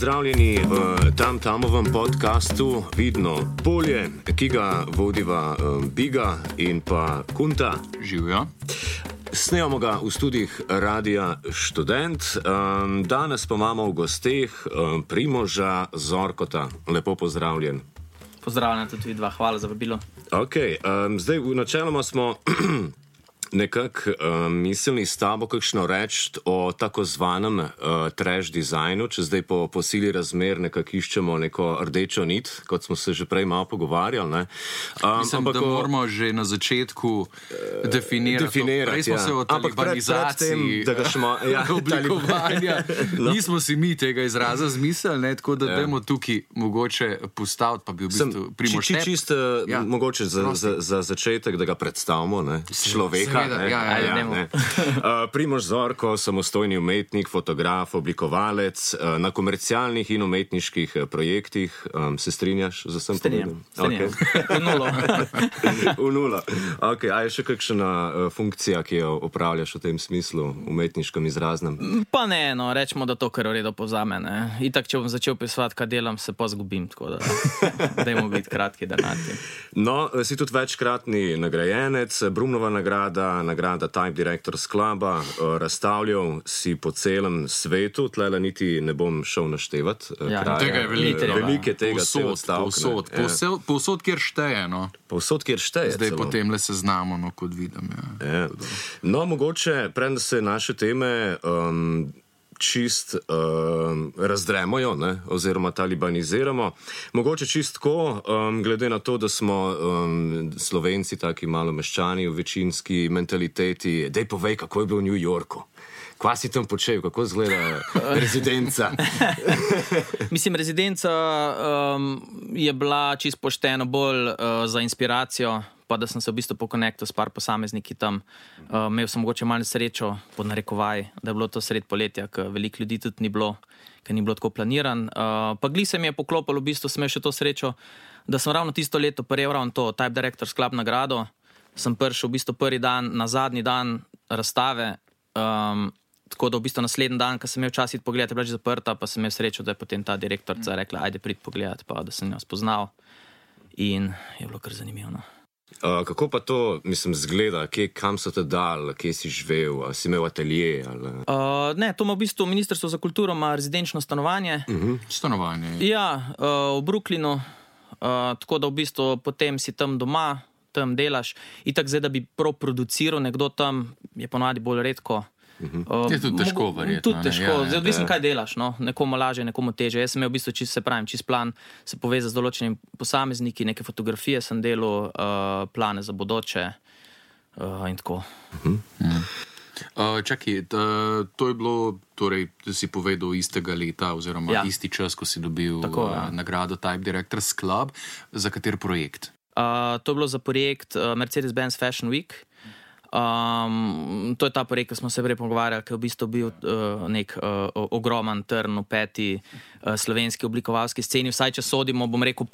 pozdravljeni v Tamovem podcastu Vidno polje, ki ga vodiva Biga in pa Kunta. Živijo. Snemamo ga v studijih Radia Študent. Danes pa imamo v gosteh Primoža Zorkota. Lepo pozdravljen. Pozdravljen tudi vi dva, hvala za vabilo. Ok, zdaj v načeloma smo nekako mislili s tabo kakšno reči o tako zvanem trash dizajnu, če zdaj po sili razmer nekako iščemo neko rdečo nit, kot smo se že prej malo pogovarjali. Ne? Mislim, da moramo že na začetku definirati. Prej smo se o talibanizaciji oblikovanja. Nismo si mi tega izraza zmislili, ne? Tako da dajmo tukaj mogoče postaviti, pa bi v bistvu Primož čisto mogoče za začetek, da ga predstavimo, ne? Človeka. Primož Zorko, samostojni umetnik, fotograf, oblikovalec na komercialnih in umetniških projektih. Se strinjaš z vsem povedom? Strinjam. V nulo. Ok, a je še kakšna funkcija, ki jo opravljaš v tem smislu, umetniškem izraznem? Pa ne, no, rečemo, da to kar v redu povzame, ne. Itak, če bom začel pisati, kaj delam, se pa zgubim, tako da dajmo biti kratki danati. No, si tudi večkratni nagrajenec, Brumnova nagrada Type Directors Cluba, razstavljal si po celem svetu, tlele niti ne bom šel naštevati. Tega je veliko. Velike tega celo stavk. Povsod, kjer šteje, no. Povsod, kjer šteje. Zdaj potem le seznamo, no, kot vidim. Ja. No, mogoče, preden se naše teme čist razdremojo, ne, oziroma talibaniziramo. Mogoče čist tako, glede na to, da smo Slovenci taki malo meščani v večinski mentaliteti. Dej povej, kako je bilo v New Yorku. Kva si tam počel, kako izgleda rezidenca? Mislim, rezidenca je bila čist pošteno bolj za inspiracijo, pa da sem se v bistvu pokonektal s par posamezniki tam. Imel sem mogoče malo srečo, pod narekovaj, da je bilo to sred poletja, ker veliko ljudi tudi ni bilo, ker ni bilo tako planiran. Pa gli se mi je poklopilo, v bistvu sem imel še to srečo, da sem ravno tisto leto prejel ravno to Type Directors Club nagrado. Sem prišel v bistvu prvi dan, na zadnji dan razstave, tako da v bistvu naslednji dan, ko sem imel čas iti pogledati, je bila že zaprta, pa sem imel srečo, da je potem ta direktorca rekla, ajde prid pogledati, pa da sem jo spoznal. In je bilo kar zanimivo. Kako pa to, mislim, zgleda? Kam so te dal, kje si živel, si imel atelje? Ne, to ima v bistvu Ministrstvo za kulturo, ima rezidenčno stanovanje. Stanovanje? Ja, v Brooklynu, tako da v bistvu potem si tam doma, tam delaš. Itak zdaj, da bi prav produciral nekdo tam, je ponovadi bolj redko. Je tudi težko, verjetno. Tudi težko, zdaj odvisno, kaj delaš, no. Nekomu lažje, nekomu teže. Jaz sem imel v bistvu čist plan, se poveza z določenimi posamezniki, neke fotografije sem delal, plane za bodoče in tako. Čakaj, to je bilo, torej, da si povedal istega leta oziroma isti čas, ko si dobil nagrado Type Directors Club. Za kater projekt? To je bilo za projekt Mercedes-Benz Fashion Week. To je ta projekt, ki smo se prej pogovarjali, ki je v bistvu bil nek ogroman trn v peti slovenski oblikovalski sceni. Vsaj, če sodimo, bom rekel,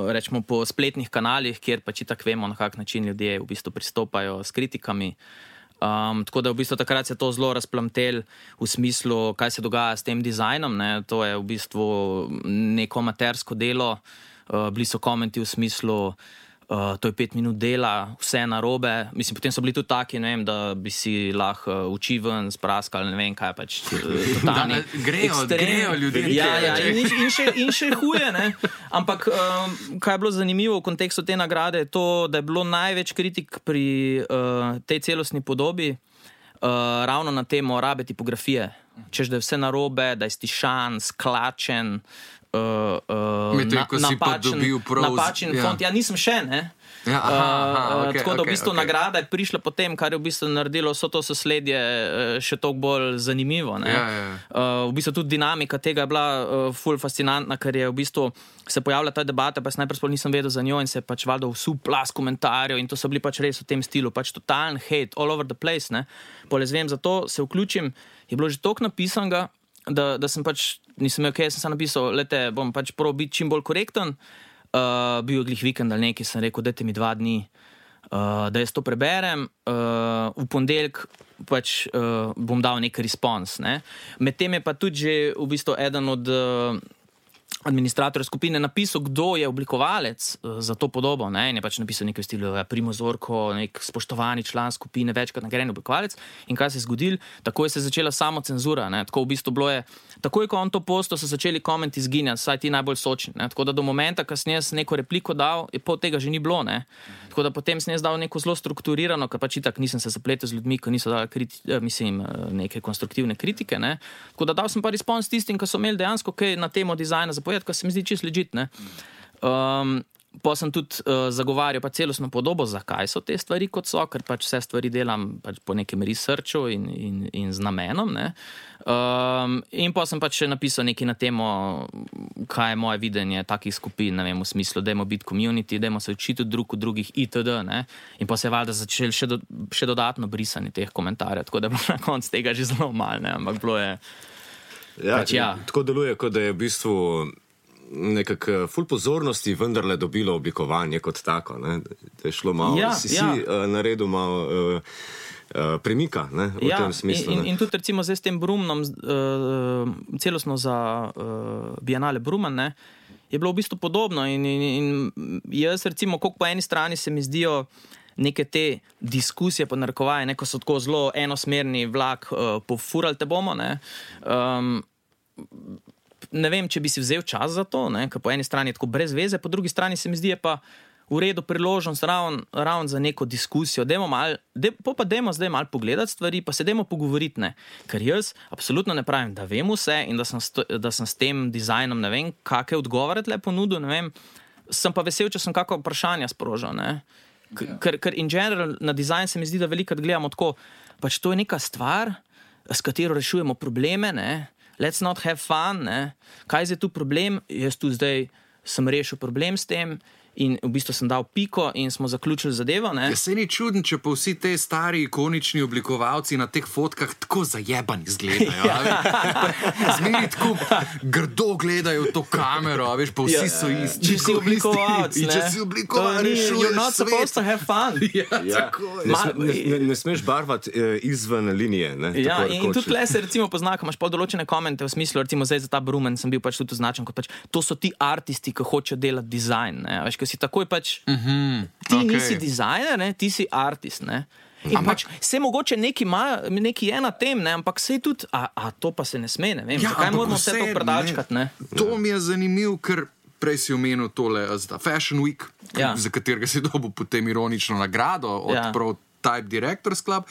rečemo, po spletnih kanalih, kjer pač itak vemo, na kak način ljudje v bistvu pristopajo s kritikami. Tako da v bistvu takrat se to zelo razplamtel v smislu, kaj se dogaja s tem dizajnom, ne. To je v bistvu neko amatersko delo. Bili so komenti v smislu, to je 5 minut dela, vse narobe. Mislim, potem so bili tudi taki, ne vem, da bi si lahko oči ven spraskali, ne vem, kaj pač totalni grejo ljudje. Ja, in še huje, ne. Ampak, kaj je bilo zanimivo v kontekstu te nagrade, je to, da je bilo največ kritik pri tej celostni podobi ravno na temo rabe tipografije. Češ, da je vse narobe, da je stišan, sklačen, napačen font. Ja, nisem še, ne. Tako da v bistvu nagrada je prišla potem, kar je v bistvu naredilo vso to sosledje še toliko bolj zanimivo. V bistvu tudi dinamika tega je bila ful fascinantna, ker je v bistvu se pojavila ta debata, pa jaz najprej sploh nisem vedel za njo in se je pač valjda vsu plas komentarjev in to so bili pač res v tem stilu, pač totalen hate, all over the place, ne. Pole zvem, zato se vključim, je bilo že toliko napisanega, da sem pač, nisem imel kaj, sem se napisal, lete, bom pač prav biti čim bolj korekten. Bil je glih vikend ali nekaj, sem rekel, dajte mi 2 dni, da jaz to preberem, v ponedeljek pač bom dal nek respons. Ne. Medtem je pa tudi že v bistvu eden od administratorjev skupine napisal, kdo je oblikovalec za to podobo. Ne. In je pač napisal nekaj v stilu Primož Zorko, nek spoštovani član skupine, večkrat nagrajen oblikovalec. In kaj se je zgodilo? Takoj se je začela samocenzura. Ne. Tako v bistvu bilo je, takoj ko on to postal, so začeli komenti izginjati, saj ti najbolj sočni. Ne. Tako da do momenta, ko sem jaz neko repliko dal, je pol tega že ni bilo. Ne. Tako da potem sem jaz dal neko zelo strukturirano, ker pač itak nisem se zapletel z ljudmi, ki niso dali neke konstruktivne kritike. Ne. Tako da dal sem pa respons tistim, ki so imeli dejansko kaj na temo dizajna zapovedati, kar se mi zdi čisto legit. Pa sem tudi zagovarjal pa celostno podobo, zakaj so te stvari kot so, ker pač vse stvari delam pač po nekem researchu in z namenom. Ne. In pa sem pač še napisal nekaj na temo, kaj je moje videnje takih skupin, ne vem, v smislu, dajmo biti community, dajmo se učiti drug od drugih itd. Ne. In pa se je valjda začeli še dodatno brisanje teh komentarjev, tako da je bilo na koncu tega že zelo malo, ne, ampak bilo je... Tako deluje, kot da je v bistvu nekako ful pozornosti vendarle dobilo oblikovanje kot tako. Ne? Da je šlo malo, si naredil malo premika, ne? V tem smislu. In tudi recimo zdaj s tem Brumnom, celostno za Bienale Brumen, ne, je bilo v bistvu podobno in jaz recimo, koliko po eni strani se mi zdijo neke te diskusije po narekovaje, neko so tako zelo enosmerni vlak, pofurali te bomo, ne. Ne vem, če bi si vzel čas za to, ne, ker po eni strani je tako brez veze, po drugi strani se mi zdi, je pa v redu priložnost ravno za neko diskusijo. Dajmo zdaj malo pogledati stvari, pa se dajmo pogovoriti, ne. Ker jaz absolutno ne pravim, da vem vse in da sem s tem dizajnom, ne vem, kakšne odgovore tle ponudil, ne vem. Sem pa vesel, če sem kakšno vprašanje sprožil, ne. Ker in general na dizajn se mi zdi, da velikrat gledamo tako, pač to je neka stvar, s katero rešujemo probleme, ne. Let's not have fun, ne. Kaj je zdaj tu problem? Jaz tu zdaj sem rešil problem s tem in v bistvu sem dal piko in smo zaključili zadevo, ne. Ja, se ni čuden, če pa vsi te stari ikonični oblikovalci na teh fotkah tako zajebani izgledajo. Zmeri tako grdo gledajo to kamero, a veš, pa vsi so isti. Če si oblikovalc, ne. Če si oblikovalc, rešuješ you're not supposed to have fun. Ne smeš barvati izven linije, ne. Ja, in tudi tle se recimo pozna, ko imaš pol določene komente v smislu, recimo zdaj za ta Brumen sem bil pač tudi označen kot pač, to so ti artisti, ki hočejo delati dizajn, ne. Veš, si takoj pač, ti nisi dizajner, ne, ti si artist, ne. In pač, se mogoče neki je na tem, ne, ampak se je tudi, a to pa se ne sme, ne vem, zakaj moramo vse to predačkati, ne. To mi je zanimiv, ker prej si omenil tole Fashion Week, za katerega si dobil potem ironično nagrado od Prototype Directors Club.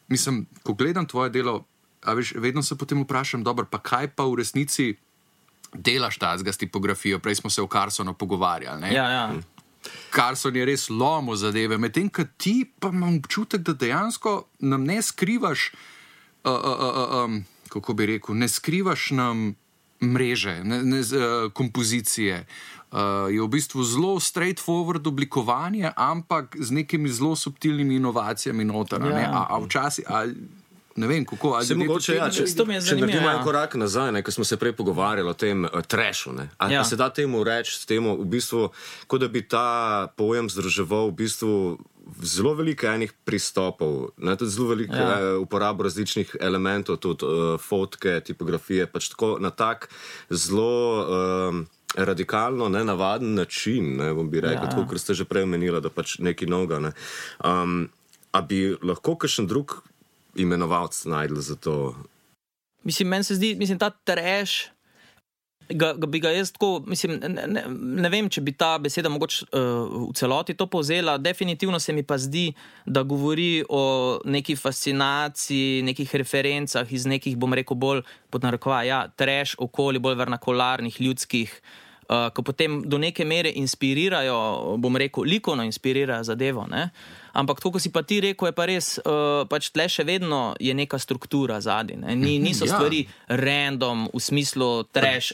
Mislim, ko gledam tvoje delo, a veš, vedno se potem vprašam, dobro, pa kaj pa v resnici delaš tazga s tipografijo, prej smo se o Carsonu pogovarjali, ne? Ja. Carson je res lomil zadeve, medtem, ko ti pa imam občutek, da dejansko nam ne skrivaš, kako bi rekel, ne skrivaš nam mreže, kompozicije. Je v bistvu zelo straightforward oblikovanje, ampak z nekimi zelo subtilnimi inovacijami noter, ne? A včasih... Ne vem, kako, ali mogoče, če naredimo en korak nazaj, ne, ko smo se prej pogovarjali o tem trashu, ne. A se da temu reči s temu, v bistvu, kot da bi ta pojem združeval v bistvu zelo veliko enih pristopov, ne, tudi zelo veliko uporabo različnih elementov, tudi fotke, tipografije, pač tako na tak zelo radikalno, nenavaden način, ne, bom bi rekel, tako, ker ste že prej omenila, da pač nekaj novega, ne. A bi lahko kakšen drug imenovalc najdel za to? Mislim, meni se zdi, ta trash, bi ga jaz tako, mislim, ne vem, če bi ta beseda mogoče v celoti to povzela, definitivno se mi pa zdi, da govori o neki fascinaciji, nekih referencah iz nekih, bom rekel, bolj pod narekovaj, trash, okolje, bolj vernakularnih, ljudskih, ko potem do neke mere inspirirajo, bom rekel, likovno inspirirajo zadevo, ne? Ampak to, ko si pa ti rekel, je pa res, pač tle še vedno je neka struktura zadaj, ne? Niso stvari random, v smislu trash,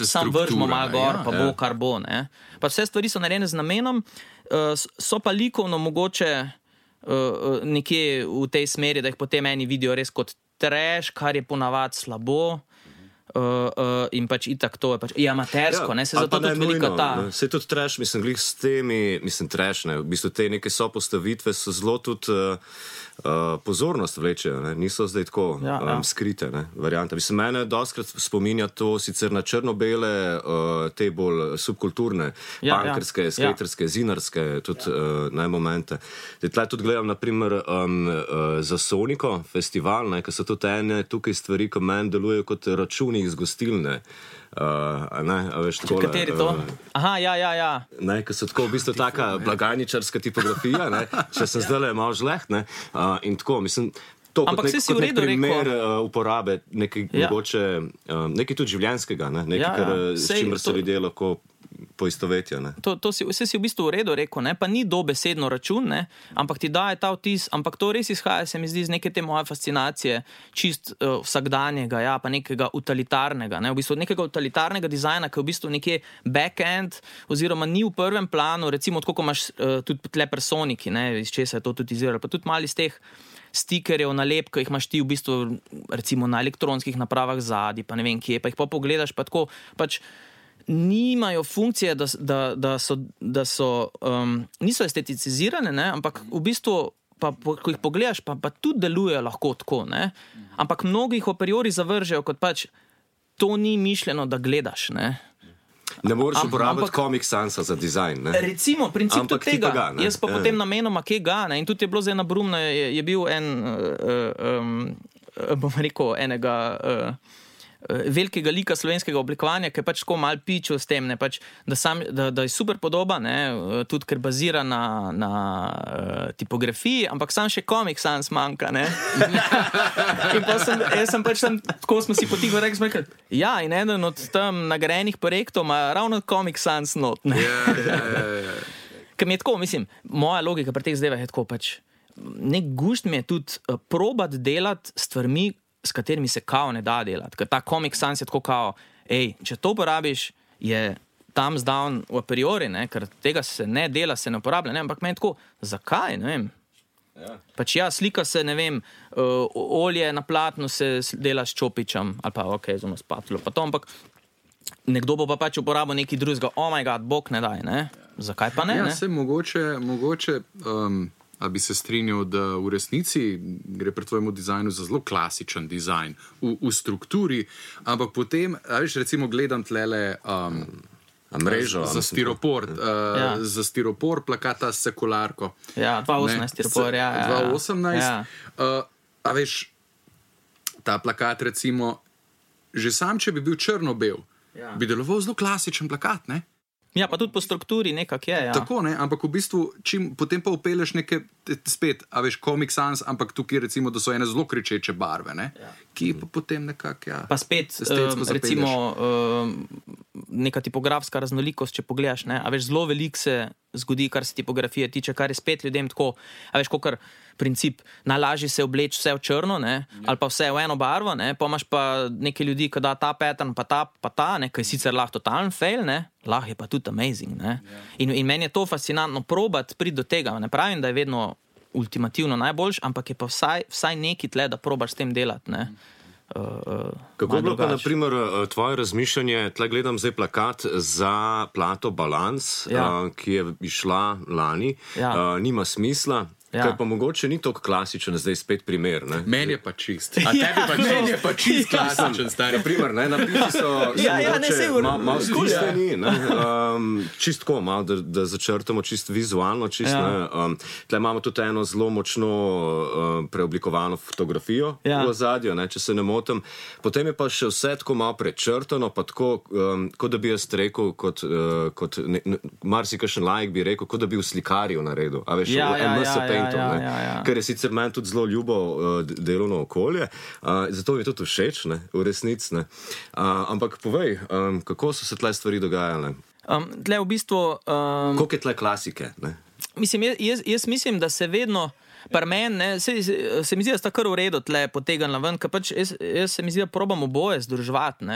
sam vržimo malo gor, pa bo kar bo, ne? Pa vse stvari so narejene z namenom, so pa likovno mogoče nekje v tej smeri, da jih potem eni vidijo res kot trash, kar je ponavadi slabo. in pač itak to je pač amatersko, se zato tudi velika ta. Se tudi trash, mislim, glih s temi, trash, v bistvu te neke sopostavitve so zelo tudi pozornost vlečejo, niso zdaj tako skrite variante. Mislim, mene dostkrat spominja to sicer na črno-bele, te bolj subkulturne, punkerske, skaterske, zinarske, tudi momente. Tle tudi gledam, naprimer, za Soniko festival, ker so tudi ene tukaj stvari, ko meni delujejo kot računi iz gostilne. Kateri to? Aha, ja. Ker so tako v bistvu taka blagajničarska tipografija, če sem zdaj malo žleht, in tako, mislim, to ampak kot nek primer uporabe nekaj mogoče, nekaj tudi življenjskega, nekaj, s čimer se ljudje lahko poistovetijo. Vse si v bistvu v redu rekel, pa ni dobesedno račun, ampak ti daje ta vtis, ampak to res izhaja, se mi zdi, z neke te moje fascinacije, čist vsakdanjega, pa nekega utilitarnega, v bistvu nekega utilitarnega dizajna, ki je v bistvu nekje back-end, oziroma ni v prvem planu, recimo tako, ko imaš tudi tle personiki, iz česa je to tudi izviralo, pa tudi mali iz teh stikerjev, nalepk, ki jih imaš ti v bistvu recimo na elektronskih napravah zadnji, pa ne vem kje, pa jih pa pogledaš, pa tako, pač nimajo funkcije, da so niso esteticizirane, ampak v bistvu, ko jih pogledaš, pa tudi delujejo lahko tako, ampak mnogi jih a priori zavržejo, kot pač to ni mišljeno, da gledaš, Ne moreš uporabiti Comic Sansa za dizajn, Recimo, princip tudi tega. Jaz pa potem namenoma kje ga, in tudi je bilo zdaj na Brumna, je bil bom rekel, enega velikega lika slovenskega oblikovanja, ki je pač tako malo pičil s tem, da je super podoba, tudi ker bazira na tipografiji, ampak sam še Comic Sans manjka, In pa sem pač tam, tako smo si potiho rekli, in eden od tam nagrajenih projektov ima ravno Comic Sans not, Ker mi je tako, mislim, moja logika pri teh zdajvah je tako pač, nek gušt mi je tudi probati delati stvarmi, s katerimi se kao ne da delati. Ker ta Comic Sans je tako kao, če to uporabiš, je thumbs down a priori, ker tega se ne dela, se ne uporablja, ampak meni tako, zakaj, ne vem. Pač slika se, ne vem, olje na platnu se dela s čopičem, ali pa z ono spatulo, pa to, ampak nekdo bo pa pač uporabil nekaj drugega, oh my god, bog ne daj, Zakaj pa ne? Se mogoče a bi se strinjal, da v resnici gre pri tvojemu dizajnu za zelo klasičen dizajn v strukturi, ampak potem, recimo gledam tlele mrežo za stiropor, za stiropor plakata s sekularko. 2018 stiropor, 2018. A veš, ta plakat recimo, že sam, če bi bil črno-bel, bi deloval zelo klasičen plakat, Ja, pa tudi po strukturi nekak je, Tako, ampak v bistvu, potem pa upeleš neke, spet, Comic Sans, ampak tukaj recimo, da so ene zelo kričeče barve, ki pa potem nekako, Pa spet, recimo, neka tipografska raznolikost, če pogledaš, zelo veliko se zgodi, kar se tipografije tiče, kar je spet ljudem tako, kakor princip, najlažje se obleči vse v črno, ali pa vse v eno barvo, pa imaš pa nekaj ljudi, ki da ta pattern, pa ta, ki je sicer lahko totalen fail, lahko je pa tudi amazing, In meni je to fascinantno probati priti do tega, ne pravim, da je vedno ultimativno najboljš, ampak je pa vsaj neki tle, da probaš s tem delati, Kako je bilo pa, na primer, tvoje razmišljanje, tle gledam zdaj plakat za plato Balans, ki je išla lani, nima smisla, Kaj pa mogoče ni tako klasičen, zdaj spet primer. Meni je pa čist. A tebi pa meni je pa čist klasičen, stari. Naprimer, napisi so malo skušeni, čist tako, malo, da začrtamo čist vizualno, čist, tle imamo tudi eno zelo močno preoblikovano fotografijo v ozadju, če se ne motim. Potem je pa še vse tako malo prečrtano, pa tako, kot da bi jaz rekel, kot marsikakšen laik bi rekel, kot da bi v slikarju naredil. A veš, ker je sicer meni tudi zelo ljubo delovno okolje, zato mi je tudi všeč, v resnici. Ampak povej, kako so se tle stvari dogajale? Tle v bistvu... Koliko je tle klasike? Mislim, jaz mislim, da se vedno par meni, se mi zdi, da sta kar v redu tle potegnila ven, ker pač jaz se mi zdi, da probam oboje združevati,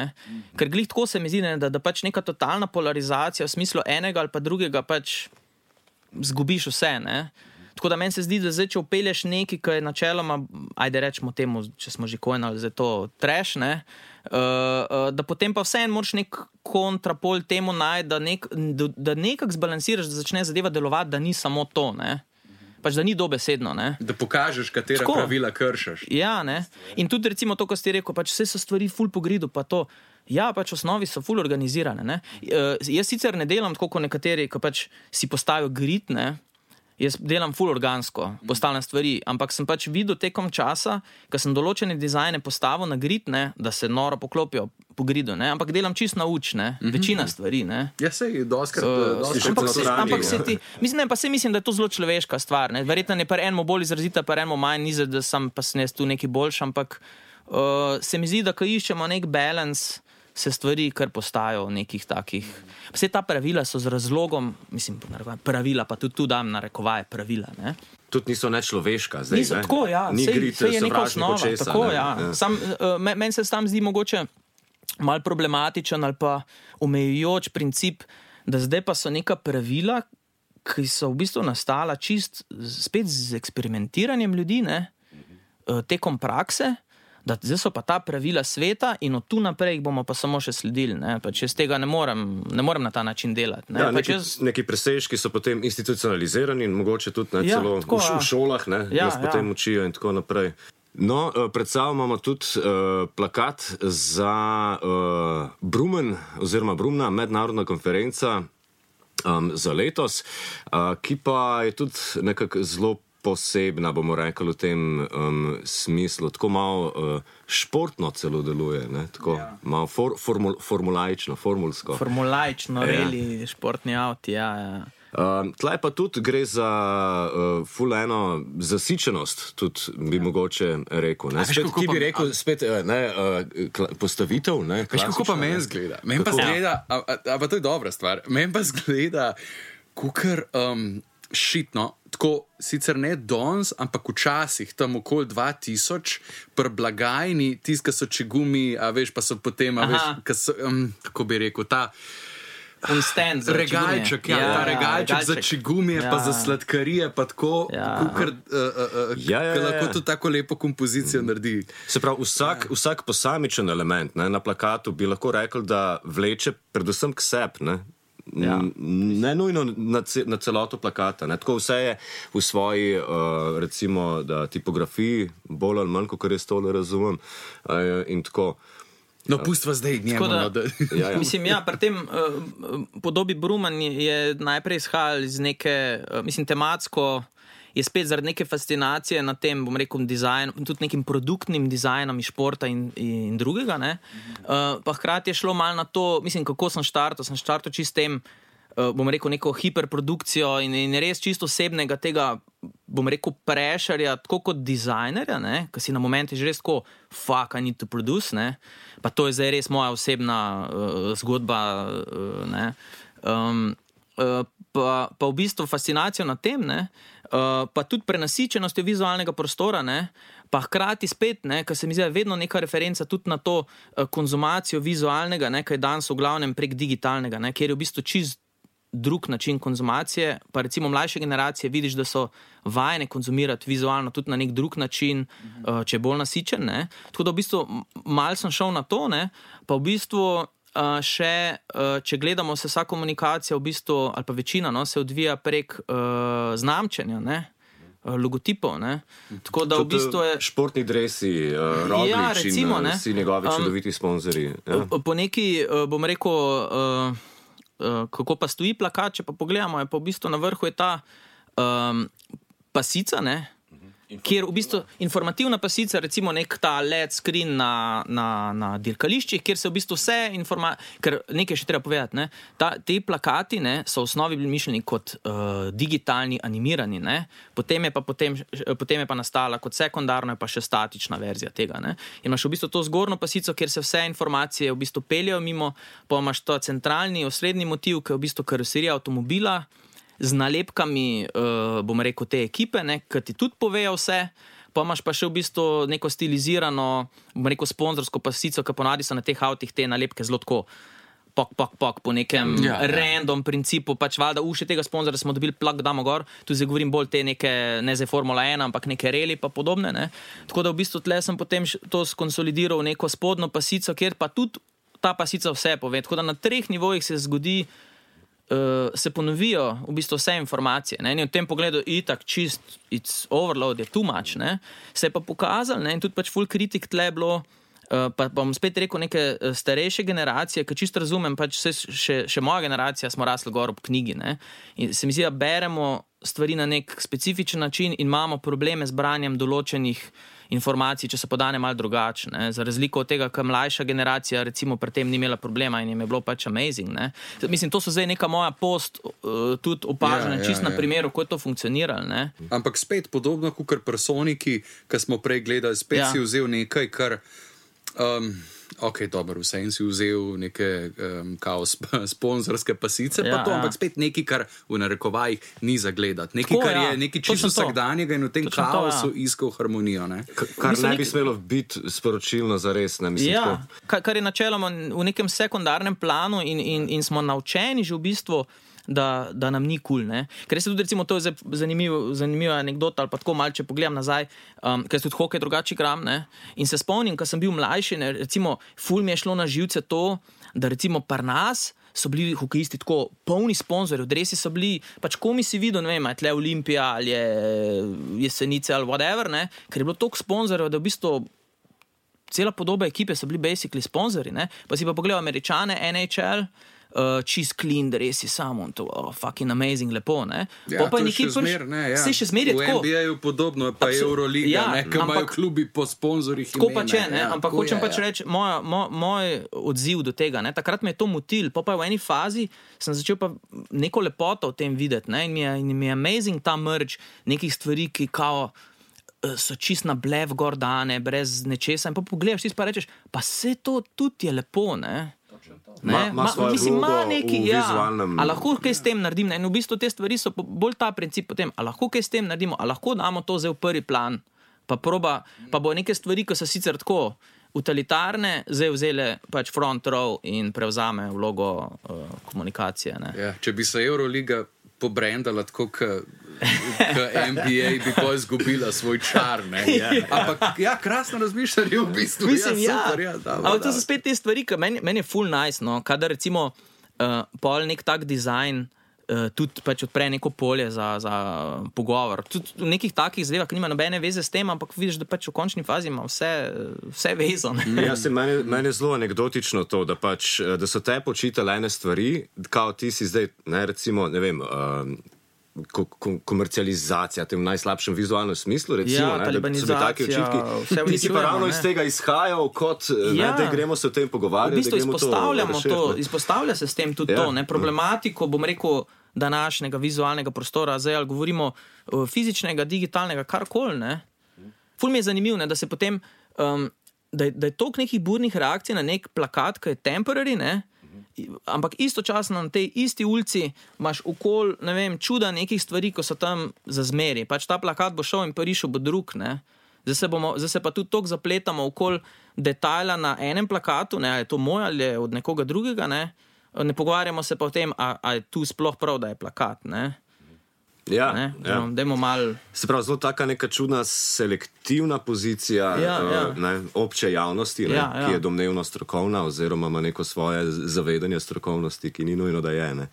ker glih tako se mi zdi, da pač neka totalna polarizacija v smislu enega ali pa drugega pač zgubiš vse, Tako da meni se zdi, da zdaj, če upelješ nekaj, ki je načeloma, ajde rečemo temu, če smo že kojnali, zdaj to trash, ne, da potem pa vseeno moraš nek kontrapol temu najti, da nekako zbalansiraš, da začne zadeva delovati, da ni samo to, ne. Pač da ni dobesedno, ne. Da pokažeš, katera pravila kršiš. Ja, ne. In tudi recimo to, ko ste rekel, pač vse so stvari ful po gridu, pa to. Ja, pač v osnovi so ful organizirane, ne. Jaz sicer ne delam tako, kot nekateri, ko pač si postavijo grid, ne. Jaz delam ful organsko, postavljam stvari, ampak sem pač videl tekom časa, ko sem določene dizajne postavil na grid, ne, da se noro poklopijo po gridu, ne, ampak delam čisto nauč, ne, večina stvari, ne. Ja, sej, doskrat ampak se ti, mislim, da je to zelo človeška stvar, ne, verjetno je par enemu bolj izrazita, par enemu manj, ni da sem pa sem jaz tu neki boljši, ampak se mi zdi, da ko iščemo nek balans, se stvari kar postajajo nekih takih. Vse ta pravila so z razlogom, mislim, pravila, pa tudi tu dam narekovaje pravila, ne. Tudi niso nečloveška zdaj, niso, ne? Tako, ja. Ni grid sovražni počesa. Tako, ja. Meni se tam zdi mogoče malo problematičen ali pa omejujoč princip, da zdaj pa so neka pravila, ki so v bistvu nastala čist spet z eksperimentiranjem ljudi, ne, tekom prakse, da zdaj so pa ta pravila sveta in od tu naprej jih bomo pa samo še sledili, ne, pač jaz tega ne morem na ta način delati, ne. Ja, neki presežki so potem institucionalizirani in mogoče tudi, ne, celo tako, v šolah, ne, nas potem učijo in tako naprej. No, pred sabo imamo tudi plakat za Brumen oziroma Brumna, mednarodna konferenca za letos, ki pa je tudi nekako zelo posebna, bomo rekli, v tem smislu. Tako malo športno celo deluje, ne? Tako malo formulaično, formulsko. Formulaično, reli, športni avti, ja. Tlej pa tudi gre za ful eno zasičenost, tudi bi mogoče rekel. Ne? Spet, ki bi rekel, spet postavitev. Ne? Veš, kako pa meni zgleda? Meni pa zgleda, a pa to je dobra stvar, meni pa zgleda, kukar šitno, tako sicer ne danes, ampak včasih, tam okoli 2000, pri blagajni, tisti, ki so čigumi, a veš, pa so potem, a veš, kako bi rekel, ta regalček, ta regalček za čigumije, pa za sladkarije, pa tako, kukar lahko tudi tako lepo kompozicijo naredi. Se pravi, vsak posamičen element, ne, na plakatu bi lahko rekel, da vleče predvsem k sebi, ne. Ja. Ne nujno na celoto plakata, ne. Tako vse je v svoji recimo da tipografiji bolj ali manj, kot jaz tole razumem, in tako. No, pustva zdaj njemu. Mislim, pri tem podobi Bruman je najprej izhajal iz neke, mislim, tematsko je spet zaradi neke fascinacije na tem, bom rekel, dizajnu, tudi nekim produktnim dizajnom iz športa in drugega, ne. Pa hkrati je šlo malo na to, mislim, kako sem štartal čistem, bom rekel, neko hiperprodukcijo in res čisto osebnega tega, bom rekel, prešarja, tako kot dizajnerja, ne, ki si na momente že res tako, fuck, I need to produce, ne, pa to je zdaj res moja osebna zgodba, ne, pa v bistvu fascinacijo na tem, ne, pa tudi prenasičenostjo vizualnega prostora, ne, pa hkrati spet, ne, ker se mi zdi vedno neka referenca tudi na to konzumacijo vizualnega, ne, kaj je danes v glavnem prek digitalnega, ne, kjer je v bistvu čist drug način konzumacije, pa recimo mlajše generacije vidiš, da so vajene konzumirati vizualno tudi na nek drug način, če je bolj nasičen, ne. Tako da v bistvu malo sem šel na to, ne, pa v bistvu še, če gledamo se vsa komunikacija v bistvu, ali pa večina, no, se odvija prek znamčenja, ne, logotipov, ne. Tako da v bistvu je... Športni dresi, Roglič in vsi njegovi čudoviti sponzorji. Ja. Po neki, bom rekel, kako pa stoji plakat, če pa pogledamo, je pa v bistvu na vrhu je ta pasica, ne, kjer v bistvu informativna pasica, recimo nek ta LED screen na dirkališčih, kjer se v bistvu vse ker nekaj še treba povedati, ne, te plakati, ne, so v osnovi bili mišljeni kot digitalni, animirani, ne, potem je pa nastala kot sekundarno, je pa še statična verzija tega, ne, in imaš v bistvu to zgornjo pasico, kjer se vse informacije v bistvu peljajo mimo, pa imaš to centralni, osrednji motiv, ki je v bistvu karoserija avtomobila, z nalepkami, bom rekel, te ekipe, ne, ki ti tudi povejo vse, pa imaš pa še v bistvu neko stilizirano, bom rekel, sponzorsko pasico, ki ponavadi so na teh avtih te nalepke zelo tako pok po nekem random principu, pač valjda uši tega sponzora smo dobili, plak damo gor, tu zdaj govorim bolj te neke, ne zdaj Formula 1, ampak neke reli pa podobne, ne. Tako da v bistvu tle sem potem to skonsolidiral v neko spodnjo pasico, kjer pa tudi ta pasica vse pove, tako da na 3 nivojih se zgodi, se ponovijo v bistvu vse informacije. Ne? In v tem pogledu itak čist, it's overload, je too much. Ne? Se je pa pokazal, ne? In tudi pač full kritik tle je bilo, pa bom spet rekel neke starejše generacije, ki čisto razumem, pač še moja generacija smo rasli gor ob knjigi. Ne? In se mi zdi, da beremo stvari na nek specifičen način in imamo probleme z branjem določenih informacij, če se podane malo drugače. Za razliko od tega, kaj mlajša generacija recimo pri tem ni imela problema in jim je bilo pač amazing. Ne? Mislim, to so zdaj neka moja tudi opažena, čist na primeru, kako je to funkcioniralo. Ne? Ampak spet podobno kot pri Soniki, ki smo prej gledali, spet si vzel nekaj, kar ok, dobro, vse in si vzel neke sponzorske pasice, pa to, ampak spet nekaj, kar v narekovajih ni zagledati. Nekaj, kar je nekaj čisto vsakdanjega in v tem kaosu iskal harmonijo. Ne? Kar ne bi smelo biti sporočilno za res. Ne? Mislim, kar je načeloma v nekem sekundarnem planu in smo naučeni že v bistvu, da nam ni cool, ne. Ker se tudi recimo to je zanimiva anekdota ali pa tako malce pogledam nazaj, ker se tudi hokej drugače igram, ne. In se spomnim, ko sem bil mlajši, ne, recimo ful mi je šlo na živce to, da recimo pri nas so bili hokejisti tako polni sponzorjev, dresi so bili, pač komi si videl, ne vem, je tle Olimpija ali je Jesenice ali whatever, ne, ker je bilo toliko sponzorjev, da v bistvu cela podoba ekipe so bili basically sponzorji, ne. Pa si pa pogledal Američane, NHL, čist clean, res je samo to, fucking amazing, lepo, ne? Ja, to še zmer, ne, ja. Se še zmer je tako. V NBA-ju podobno, pa Euroliga, ne, ki imajo klubi po sponzorjih imena. Tako pa če, ne, ampak hočem pač reči, moj odziv do tega, ne, takrat me je to motil, pa v eni fazi sem začel pa neko lepoto v tem videti, ne, in mi je amazing ta merge nekih stvari, ki kao so čist na blev gor dane, brez nečesa, in pa pogledaš, ti pa rečeš, pa vse to tudi je lepo, ne. Mislim, vizualnem... A lahko kaj s tem naredim? Ne? In v bistvu te stvari so bolj ta princip potem, a lahko kaj s tem naredimo, a lahko damo to zdaj v prvi plan, pa bo neke stvari, ki so sicer tako utilitarne, zdaj vzele pač front row in prevzame vlogo komunikacije. Ne? Ja, če bi se Euroliga pobrendala tako, NBA bi pa izgubila svoj čar, ne? Ampak, krasno razmišljanje v bistvu. Mislim, super, ampak to so spet te stvari, ki meni je full nice, no? Kadar recimo pol nek tak dizajn tudi pač odpre neko polje za pogovor. Tudi v nekih takih zadevah, ki nima nobene veze s tem, ampak vidiš, da pač v končni fazi ima vse vezo. Ja, meni je zelo anekdotično to, da so te počitale ene stvari, kao ti si zdaj, ne, recimo, ne vem, komercializacija, v najslabšem vizualnem smislu, recimo, da so bili taki očitki. Ti si pa ravno iz tega izhajal, kot da gremo se o tem pogovarjati. V bistvu izpostavljamo to, izpostavlja se s tem tudi to, ne, problematiko, bom rekel, današnjega vizualnega prostora, zdaj ali govorimo fizičnega, digitalnega, karkoli, ne. Ful mi je zanimiv, ne, da se potem, da je toliko nekih burnih reakcij na nek plakat, ki je temporary, ne, ampak istočasno na tej isti ulici imaš okoli, ne vem, čuda nekih stvari, ko so tam za zmeri. Pač ta plakat bo šel in prišel bo drug, ne. Zdaj se pa tudi toliko zapletamo okoli detajla na enem plakatu, ne, ali je to moj ali je od nekoga drugega, ne. Ne pogovarjamo se pa o tem, a je tu sploh prav, da je plakat, ne. Ja, dajmo malo. Se pravi, zelo taka neka čudna selektivna pozicija obče javnosti, ki je domnevno strokovna oziroma ima neko svoje zavedanje strokovnosti, ki ni nujno, da je, ne.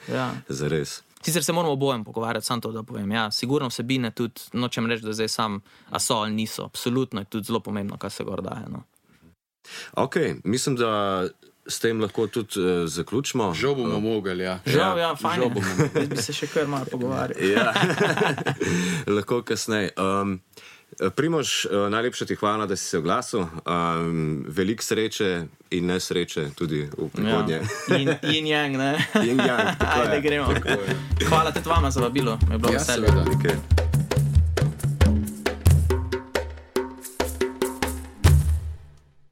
Zares. Sicer se moramo obojem pogovarjati, sam to, da povem. Ja, sigurno vsebine tudi, nočem reči, da zdaj sam a so ali niso. Absolutno je tudi zelo pomembno, kaj se gor daje, no. Ok, mislim, da s tem lahko tudi zaključimo. Žal bomo mogli, ja. Žal, fajn. Jaz bi se še kar malo pogovarjali. Ja, lahko kasneje. Primož, najlepša ti hvala, da si se oglasil. Veliko sreče in nesreče tudi v prihodnje. Yin yang, ne? Yin yang, tako je. Ajde, gremo. Hvala tudi vama za vabilo. Me je bilo veselje. Seveda.